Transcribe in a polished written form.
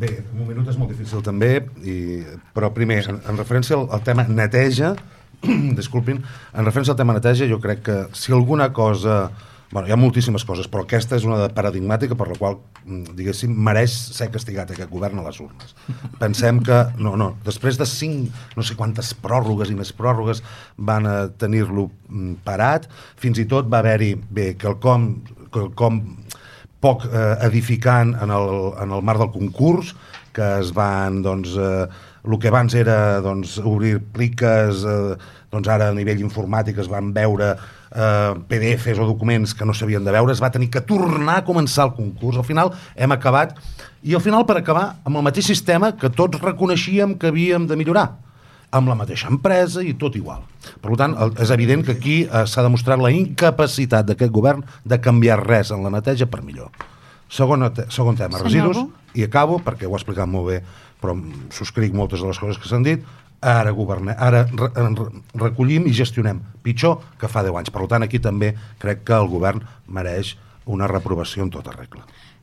Bé, un minut és molt difícil també, però primer, en referència al tema neteja, disculpin, en referència al tema neteja, jo crec que si alguna cosa... Bueno, hi ha moltíssimes coses, però aquesta és una paradigmàtica per la qual, diguéssim, mereix ser castigat aquest govern a les urnes. Pensem que, després de 5, no sé quantes pròrrogues i més pròrrogues van a tenir-lo parat, fins i tot va haver-hi, quelcom poc edificant en el marc del concurs, que es van, doncs, el que abans era obrir pliques, doncs ara a nivell informàtic es van veure PDFs o documents que no s'havien de veure, es va tenir que tornar a començar el concurs. Al final hem acabat, i al final per acabar amb el mateix sistema que tots reconeixíem que havíem de millorar, amb la mateixa empresa i tot igual. Per tant, és evident que aquí s'ha demostrat la incapacitat d'aquest govern de canviar res en la neteja per millor. Segon tema, residus, i acabo, perquè ho ha explicat molt bé, però subscric moltes de les coses que s'han dit. Ara recollim i gestionem pitjor que fa 10 anys. Per tant, aquí també crec que el govern mereix una reprovació en tota regla.